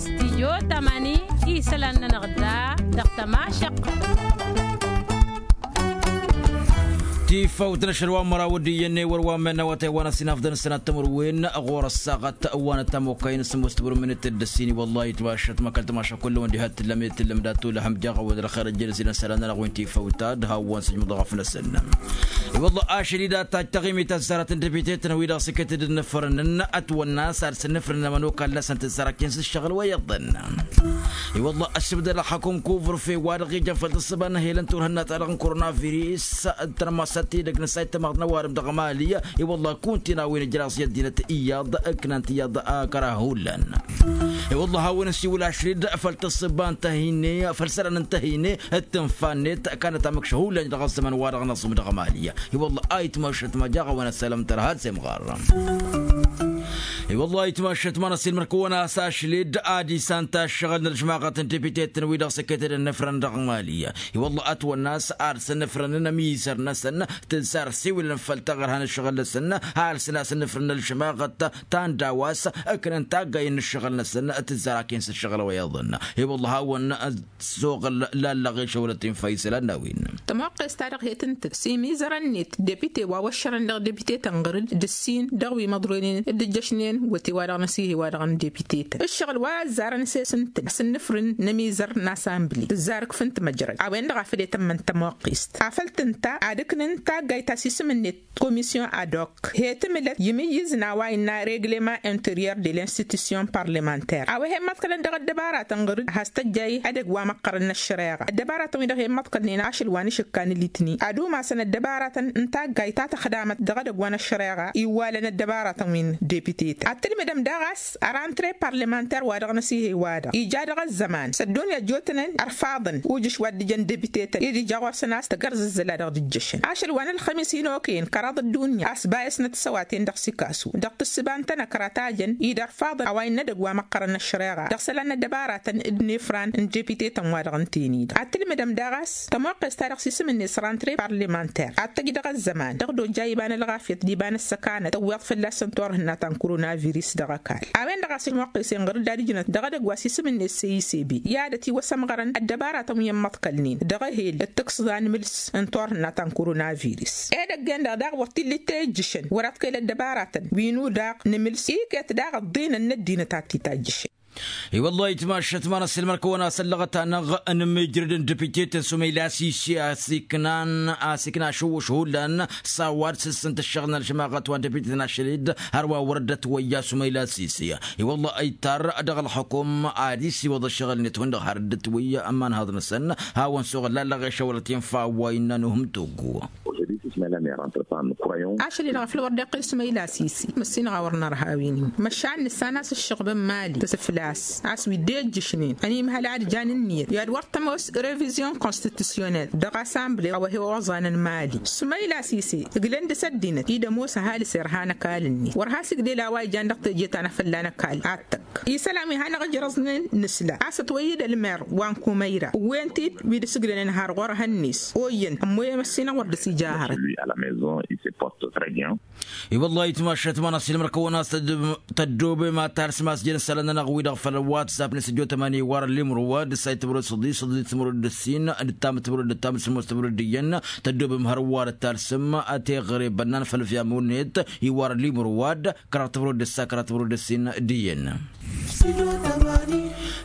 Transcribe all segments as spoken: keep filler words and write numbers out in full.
Stidyo tamani isălan-nănăɣ da dăɣ-tămašăq. Tifawt n-ašăl wa n-măraw d-iyyăn i-wăr wa n-menna wa tăywan ăsinafdăn sănat tămărwen ɣur-ăssaɣăt wa n-ăttam okăyăn s-ămoos tămărwen d-ăssin i-wăllah itmašăt măkăl tămašăt kullăm d-ihăt tǝllăm i-tǝllăm d-atulăhăm jaɣ-wăd ălxer ăjjălăs-i n-sălan-nănăɣ wen tifawt ad-hawăn-săjmăḍ ɣăf-năsăn. I-wăllah ašăl-i d-ad-tajj taɣimit ăzzarăt n-depite-tăn wi-dăɣ s-iket d-ǝnnǝfrǝnăn ătwănna s-ad-sǝnnǝfrǝnăn ămănokal-năsăn tǝzzarăken s-ǝššăɣǝl wa iyyăḍăn. I-wăllah ăssibdăd ălxăkum kuvr-fe wa-dăɣ ijăn făll-tǝssǝba n-ehel n-turhǝnna-ta-dăɣ n-koronavirus d-tărmasat-ti-dăgg n-ăssayt tamăɣt n-ăwadǝm dăɣ-mali. I-wăllah kunti n-a-wen ǝjraẓ i-ăddinăt iyyăḍ ǝknan-t iyyăḍ. Kăraha hullan i-wăllah hawăn-ăsiwǝl ašăl-dd făll-tǝssǝba n-tăhine făll-isălan n-tăhine d-tǝnfa-net. Kanăt amǝkš hullan dăɣ-ăzzăman wa-dăɣ n-aẓum dăɣ-mali. I-wăllah a itmăššăt ma jaɣ-awăn ăssalăm tărha d-semɣar. I-wăllah a itmăššăt ma n-ăsilmăr-kăwăn a-s ašăl-dd ad-isan taššăɣǝl n-ălžmaɣăt n-depite-tăn wi-dăɣ s-ăkket d-ănnăfrăn dăɣ-mali. I-wăllah ătwănna a-s ad-săn ǝfrănăn ămizăr-năsăn tǝzzar siwǝlăn făll-taɣărha n-ǝššăɣǝl-năsăn. Alsăn a-s ǝnnǝfrǝn n-ălžmaɣăt ta n-daw-as ǝknăn taggay n-ǝššăɣǝl-năsăn tǝzzar aken s-ǝššăɣǝl wa iyyăḍăn. I-wăllah a-wen s-oɣǝl lallăɣ i-šăwlăt-in făy isălan n-a-wen. Tămoqqes-ta-dăɣ he-tǝntǝk s-imizărăn-net depite wa wăššărăn dăɣ-depite-tăn ɣǝr-dd d-ǝssin dăɣ-wi măḍroynen d-ǝjjăšnen wăte-wa-dăɣ n-ăsihey-wa-dăɣ n-depite-tăn ǝššăɣǝl wa ăzzarăn s-e-s ǝntǝn a-s ǝnnǝfrǝn n-emizăr n-asambli tǝzzar ǝkfǝn timăjrăd a-wen-dăɣ a făl e-tămmăn tămoqqest afăl tǝnta ad-ǝknǝn taggayt ta s-isǝm-net komisyon ad-ok he-tǝmǝlăt imǝyyǝz n-a-wa innă reglement interior de l'institution parlementaire a-wa he-immăḍkălăn dăɣ-ăddăbaratăn ɣǝr-dd has-tăjjay edăgg wa măqqărăn n-ăššăreɣa ăddăbaratăn-wi-dăɣ he-immăḍkălnen ašăl wa n-ašǝkka n-elitni ad-umasăn ăddăbaratăn n-taggayt ta tăxdamăt dăɣ-edăgg wa n-ăššăreɣa iwwalăn ăddăbaratăn-wi n-depitetăn ad-tǝlmǝdăm daɣ a-s ărantăre parlementer wa dăɣ-năsihăy wa-dăɣ ija dăɣ-ăzzăman s-ăddunya ăjjootănen ărfaḍăn ujǝš wa dd-ijăn depitetăn-i d-ija ɣur-săn a-s tăgg-ărzǝzzăla dăɣ-dd-ǝjjăšăn ašăl wa n-ălxămis-in okăyăn kăraḍ ăddunya a-s bayăsnăt s-ăwaten dăɣ-sikasu dăɣ-tǝssǝba n-tănăkra tajăn-i d-ărfaḍăn a-wa innă edăgg wa măqqărăn ăššăreɣa dăɣ-isălan n-ăddăbaratăn d-inefran n-depitetăn wa dăɣ-ǝnten-i-dăɣ ad-tǝlmǝdăm daɣ a-s tămoqqes-ta-dăɣ s-isǝm-net s-rantăre parlementer ad-tăjj dăɣ-ăzzăman dăɣ-dojja iba n-ălɣafyăt d-iba n-ăssăkanăt tăwweḍ fălla-săn turhǝnna ta n-koronavirus dăɣ-ăkall a-wen-dăɣ a-s ămoqqes-en ɣăr-dd ad-ǝjnăt dăɣ-edăgg wa s-isǝm-net s-e i s b i-ad-ătiwăsămɣărăn ăddăbaratăn wi ămmăḍkălnen dăɣ-ehel d-tǝkẓa n-imǝls n-turhǝnna ta n-koronavirus edăgg-en-dăɣ daɣ wăr t-illa itejjǝšăn wăr-ad-kăyăl ăddăbaratăn wi n-udaɣ n-imǝls iket daɣ ăḍḍinăn n-ăddinăt ad-t-itajjǝšăn. I-wăllah itmašăt ma n-ăssiilmăr-kăwăn a-s ăllăɣăt-anăɣ n-imijrăd n-depite tăsumăyla s-isi a-s iknan a-s ikna ašǝwwǝš hullan s-a-wa d-sǝssǝnt ǝššăɣǝl n-ălžămaɣăt wa n-depite n-ašăl-dd hărwa wăr dd-ătwăyya sumăyla s-isi. I-wăllah ăytar dăɣ-ălxukum ad-isiwăḍ ăššăɣǝl-net hundăɣ har dd-ătwăyya ămanhăḍ-năsăn hawăn-suɣǝl lallăɣ i-šăwălăt infa wa innă nuhǝm toggo. Ašăl-i-dăɣ afăl wăr dd-iqqǝl sumăyla s-isi măssinăɣ a wăr nărha a-wen-in măšan nǝssan a-s ǝššăɣbăn mali tăsǝflas a-s wi dd-ejjǝšnen ănimhăl ad-jan ǝnniyăt i-ad-wăr tămoos revizyon konstitisyonel dăɣ-asamble a-wa he-oẓanăn mali sumăyla s-ise ǝglăn dăɣ-s ăddinăt-i d-ămoos ăhalǝs irha n-ăkall-net wăr has-iglel a-wa ijan dăɣ-teje ta n-afălla n-ăkall ad-tăkk isălan wi hanăɣ-ǝjrăẓnen nǝsla a-s ătwăyy-dd ălmer wa n-kumăyra ǝwwen-t-dd wi dd-sǝglănen har ɣur-hănnes oyyăn ămmoyăm ăssinăɣ wăr dăɣ-s ija hărăt. I-wăllah itmašăt ma n-ăssiilmăr-kăwăn a-s tăddobem ad-talsǝm a-s jăn isălan-nănăɣ-wi-dăɣ făll-watsap n-isǝjjo tămani iwar ăllimru wa d-ǝssay tǝmrǝd săḍi săḍi tǝmrǝd d-ǝssin d-ǝttam tǝmrǝd d-ǝttam d-sămoos tǝmrǝd d-iyyăn tăddobem hărwa d-talsǝm teɣre bănnan făll-fiamăwnet iwar ăllimru wa d-kăraḍ tǝmrǝd d-ǝssa kăraḍ tǝmrǝd d-ǝssin d-iyyăn.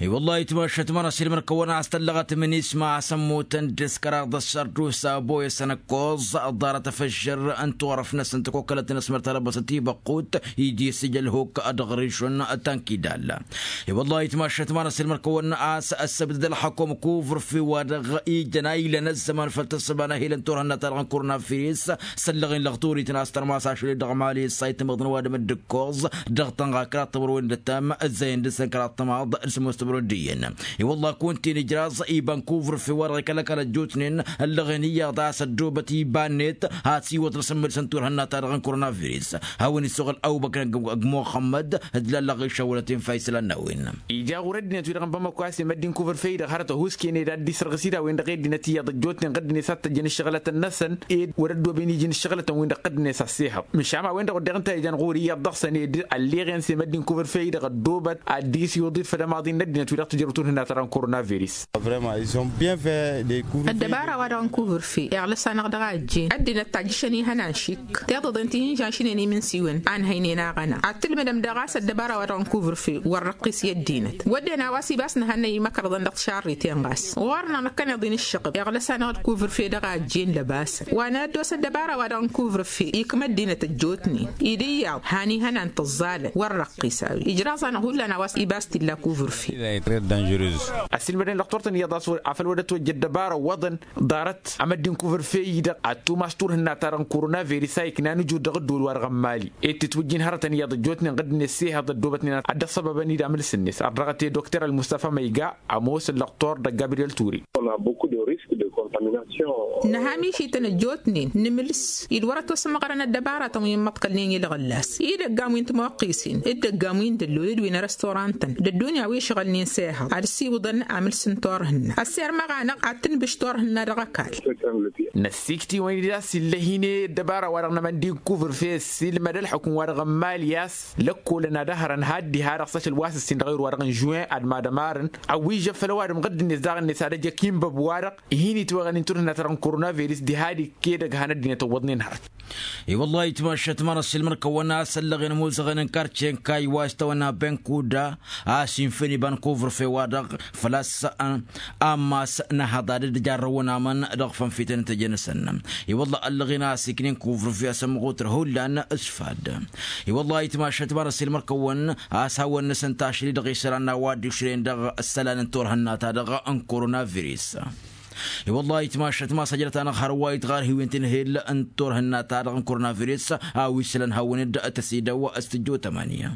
I-wăllah itmašăt ma n-ăssiilmăr-kăwăn a-s tăllăɣăt minisma a-s ămmutăn dăɣ-s kăraḍ ăssărdusa boyăsăn ăkkoẓ ăḍarăt afăžžăr n-turăf-năsăn tăkokălăt n-ăsmăr talăbăsăt ibăqqut iji s-ija ălhuk dăɣ-rišun. Tankidal i-wăllah itmašăt ma n-ăssiilmăr-kăwăn a-s ăssăbdăd ălxăkum kuvr-fi wa dăɣ-ijăn a ilăn ăzzăman făll-tăssăba n-ehil n-turhǝnna ta dăɣ-n koronavirus săllăɣ-in lăɣturit n-a-s tărmas ašăl-i dăɣ-mali ǝssay tămăḍ n-ăwadǝm d-ǝkkoẓ dăɣ-tănɣa kăraḍ tămărwen d-ăttam ăzzăyăn. n-dăr-săn kăraḍ tămaḍ d-sămoos timǝrwen d-iyyăn. I-wălla kunta-in ijraẓ iba n-kuvrfe wa dăɣ-ikăl ăkall ăjjootnen ăllăɣen iyyăḍ a-s ăddoobăt iba-net ad-siwăḍ n-asǝmmǝlǝs n-turhǝnna-ta-dăɣ n-koronavirus. Hawăn-issăɣǝl ăbubăkr ăgg-muxămmăd d-lallăɣ išăwwălăt infa isălan n-a-wen. Ija ɣur-ăddinăt-wi-dăɣ n-bamăko a-s i-măddin kuvrfe-i-dăɣ hărăt ăhuusken ed ad-dd-isărɣǝs-dd a-wen-dăɣ i-ăddinăt iyyăḍ ăjjootnen ɣǝddǝnet ad-t-ăjjăn ǝššăɣǝlătăn-năsăn ed wăr-ăddooben iji n-ǝššăɣǝlătăn-win-dăɣ ɣǝddǝnet ăssihăḍ. Măšan a-wen-dăɣ wădden ǝnta a ijan ɣur-i iyyăḍ dăɣ-săn ed ălleɣen s-i-măddin kuvrfe-i-dăɣ ăddoobăt ad-dd-isiwǝḍ-dd făll-ămaḍin n-ăddinăt-wi-dăɣ tǝjrăw turhǝnna-ta-dăɣ n-koronavirus. Ăddăbara-wa-dăɣ n-kuvrfe iɣlǝs-anăɣ dăɣ-a ăjjeen ăddinăt tajjǝšăn ihănan šik tiḍăḍen ti hin-žanšnen imǝnsiwăn a ǝnhăynen aɣăna ad-tǝlmǝdăm daɣ a-s ăddăbara-wa-dăɣ n-kuvrfe wăr răqqis i-ăddinăt. Wădden a-wa s-ibas nǝhănnăy imăkrăḍăn dăɣ-tišarriten ɣas ɣur-năɣ năkkăneḍ-in ǝššăɣǝb iɣlăs-anăɣ d-kuvrfe dăɣ-a ăjjeen lăbasăn wa n-ad-dd-osa ăddăbara-wa-dăɣ n-kuvrfe ikm' ăddinăt ăjjootnen. Id iyyăḍ han ihănan tǝẓẓalăn wăr răqqis a-wen ijraẓ-anăɣ hullan a-wa s-ibas t-illa kuvrfe. Ăssiilmădăn lăqtor-tăn iyyăḍ a-s afăl wăr dd-ătwăjja ăddăbara ǝwwăḍăn ḍarăt amăddin kuvǝrfe-i-dăɣ ad-tumas turhǝnna-ta-dăɣ n-koronavirus a iknan ǝjud dăɣ-ăddol-wa-dăɣ n-mali ed tǝtwǝjjin hărătăn iyyăḍ ăjjootnen ɣǝddǝnet s-ehăḍ ăddoobătnen ad-dd-ăṣṣăbăbăn-dd amǝlǝs-net ărrăɣăt i-dokter ălmustafa măyga ămoos ǝllăqtor d-gabriyel ture. Nǝha mišităn ăjjootnen nǝmǝlǝs-dd wăr-ătwăsmăɣrăn ăddăbaratăn wi n-imăḍkălnen i-lăɣǝllas idăggam wi n-timuqqisen d-idăggam wi n-dăllol d-wi n-restaurantăn d-ăddunya wi ǝšɣălnen s-ehăḍ ad-ăssiwǝḍăn amǝls n-turhǝnna ăssirmăɣ-anăɣ ad-tǝnbǝš turhǝnna dăɣ-ăkall. Năssiiktiwăn-dd a-s illăhine ăddăbara-wa-dăɣ n-amăndi n-kuvǝrfe ăssiilmăd ălxukǝm-wa-dăɣ n-mali a-s lăkkolăn ad-ăhrăn had-diha-dăɣ s-ašăl wa s-ǝssin dăɣ-ewăr-wa-dăɣ n-žuwen ad-mad-ămarăn ăwwijjăn făll-ăwadǝm ɣǝddǝnet daɣ-net ad-ăj ăkinbăb wa-dăɣ ihin-itwăɣăn inturhǝnna-ta-dăɣ n-koronavirus diha d-ikkedăg han ăddinăt ǝwwăḍnen hărăt. I-wăllah itmašat ma n-ăssiilmăr-kăwăn a-s ăllăɣen ămuzăɣăn n-karce n-kayy wa s-tawănna benkuda a-s infǝn iba n-kuvǝrfe-wa-dăɣ făl-a-s ammas n-ehăḍ ad-dd-jarrăwăn amăn dăɣ-fănfităn n-teje-năsăn. I-wăllah ăllăɣen a-s iknen kuvǝrfe a-s ămmăɣutăr hullan s-fadd. I-wăllah itmašat ma n-ăssiilmăr-kăwăn a-s hawăn-năsăn tašli dăɣ-isălan n-a-wa dd-išrăyăn dăɣ-isălan n-turhǝnna-ta-dăɣ n-koronavirus. I-wăllah itmašat ma s-ăjrăt-anăɣ hărwa itɣar hiwen tinhel n-turhǝnna-ta-dăɣ n-koronavirus a-wa isălan hawăn-dd-tăsidăw s-tijjo tămani.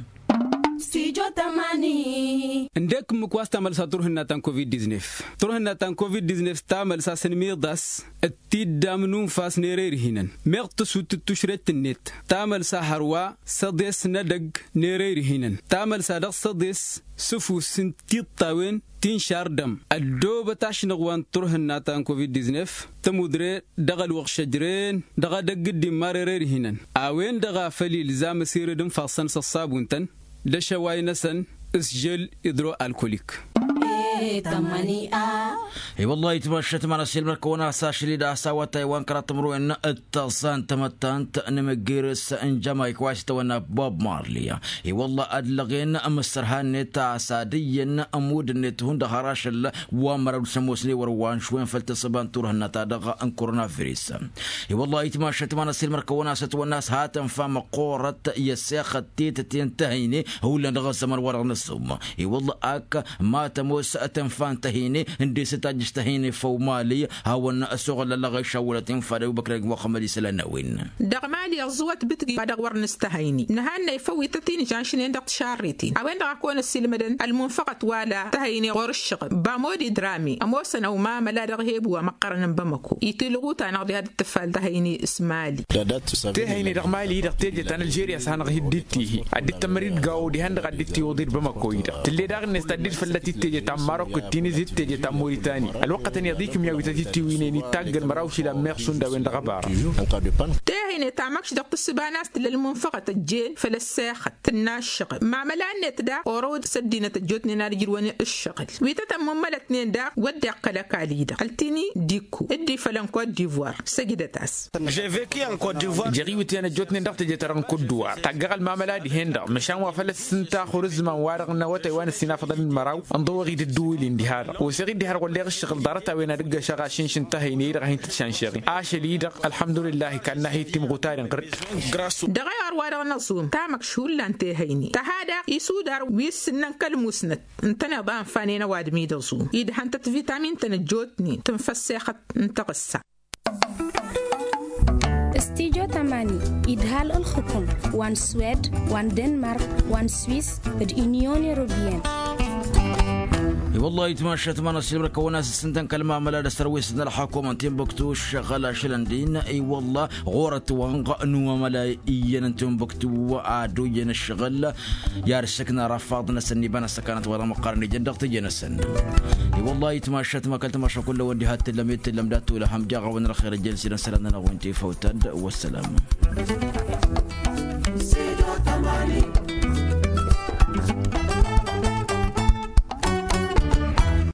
Studio tămani. Ǝndek ǝmmǝk wa s-tamălsa turhǝnna ta n-covid-diznef. Turhǝnna ta n-covid-diznef tamălsa s-ănmiḍas d-tiddam n-unfas n-erăy d-ihinăn meɣ tǝsut d-tušret-net tamălsa hărwa s-ăḍes n-edăgg n-erăy d-ihinăn tamălsa dăɣ-s ăḍes s-ǝfus n-tiṭṭawen ti n-šardăm. Ăddoobăt ašnăɣ wa n-turhǝnna ta n-covid-diznef tămudre dăɣ-ălwăɣš ăjreen dăɣ-edăgg dd-immar erăy d-ihinăn a-wen-dăɣ a făl ilzam ăsired ǝnfaḍ-săn s-ăṣṣabun-tăn d-ašăway-năsăn s-žel idro-alkolik. I-wăllah itmašat ma n-ăssiilmăr-kăwăn a-s ašăl-dd a-s awătay wa n-kăraḍ timǝrwen d-tăẓẓa n-tamăttant n-imǝggirǝs n-jamayik wa s-itawănna bob marley. I-wăllah ăllăɣen mǝssărha-net a-s ad-iyyăn ămudd-net hundăɣ har ašăl wa n-măraw d-sămoosne wăr-wa n-šwen făll-tǝssǝba n-turhǝnna-ta-dăɣ n-koronavirus. I-wăllah itmašat ma n-ăssiilmăr-kăwăn a-s ătwănna a-s ha tănfa măqqoorăt i-ăssexăt tetăte n-tăhăyne hullan dăɣ-ăzzăman-wa-dăɣ n-ăṣṣum. I-wăllah ak ma tămoos tănfa n-tăhăyne ǝndesăt tajjǝš tăhăyne făw mali hawăn-ăsoɣăl ăllăɣ išawălăt infa d-ăbubăkr ăgg muxămmăd isălan n-a-wen. Dăɣ-mali ăẓẓǝwăt bǝtgi wa dăɣ-wăr nǝstăhăyne nǝhannăy făw ităt-in žănšnen dăɣ-tišarritin a-wen-dăɣ a kăwăn-ăssiilmădăn ălmunfăɣăt wa la tăhăyne ɣur-ǝššăɣǝl bamodi drami ămoosăn ăwmamăla dăɣ-eheb wa măqqărăn n-bamăko itilɣut-anăɣ diha d-tǝffal tăhăyne s-mali. Tehăyne dăɣ-mali-i-dăɣ teje ta n-ălžeriya s-hanăɣ-hi dd-tihi ad-dd-tămmăr-dd gawo dihen-dăɣ ad-dd-tiwǝḍ-dd bamăko-i-dăɣ tǝlle daɣ-net ta dd-fălla-t-dd teje ta n-marok d-tinǝzi d-teje ta n-moritani. Ălwăqqătăn iyyăḍ ikǝm i-awităt-dd tiwǝynen ittagg ălmăraw šila n-meɣ šund a-wen-dăɣ ăbara. Tehăyne ta măkš dăɣ-tǝssǝba n-a-s tǝlla ălmunfăɣăt ăjjeen făll-ăssexăt tǝnna ǝššăɣǝl mamăla-net daɣ oro s-ăddinăt ăjjootnen ad-ǝjrǝwăn ǝššăɣǝl wi tăt-ămmummălătnen daɣ wădden kăl-ăkall-i-dăɣ ăltini d-ikko dd-ifălăn kot divoir săjdăt-as. Jeɣ iwǝtyan ăjjootnen dăɣ-teje-ta-dăɣ n-kot divoir taggăɣ ălmamăla dihen-dăɣ măšan wa făl ăssǝnta xur ǝzzǝman wa-dăɣ n-awătay wa n-ǝssin afăḍăn d-măraw ǝnḍăwăɣ-dd ǝddǝwǝl-in diha-dăɣ oseɣ-dd diha-dăɣ wălleɣ ǝššăɣǝl ḍarăt-a-wen ad-ǝggăšăɣ ašǝnš n-tăhăyne-i-dăɣ a hin-tǝtšănšăɣ-i ašăl-i-dăɣ ălḥămdulillah ikanna hi-timɣutaren ɣǝr-dd. Dăɣ-ewăr wa dăɣ-năẓum tamăkš hullan tehăyne tăha daɣ isudar wi s-ǝnnăn kăl-musnăt ǝntăneḍ a ǝnfanen ăwadǝm-i d-aẓum idhăn-tăt vitamin-tăn ăjjootnen tǝnfa ăssexăt n-taɣǝssa. S-tijotăm. Almani, idhal ǝlxǝkǝm wa n-swed, wa n-denmark, wa n-swis, d-inyon europiyăn. I-wăllah itmašat ma n-asǝlmăr kăwăn-as ǝssǝntăn kăl-mamăla d-asărwes n-ălxakumăn tinbuktu ǝššăɣǝl ašălăn din. I-wăllah ɣur-ătwănɣ n-umămăla iyyăn n-tinbuktu ad-oyyăn ǝššăɣǝl. I-ad-ǝssǝkna rafaḍ-năsăn iba n-ăssăkanăt wa dăɣ-măqqarăn ijăn dăɣ-tijănăsăn. I-wăllah itmašat ma kăl-tamaša kull a-wen diha t-tǝllăm i-t-tǝllăm d-ad-tolăhăm d-iɣawăn ărxer ijăn s-idăn sălan-nănăɣ wi n-tifăwtad. Wăssălam.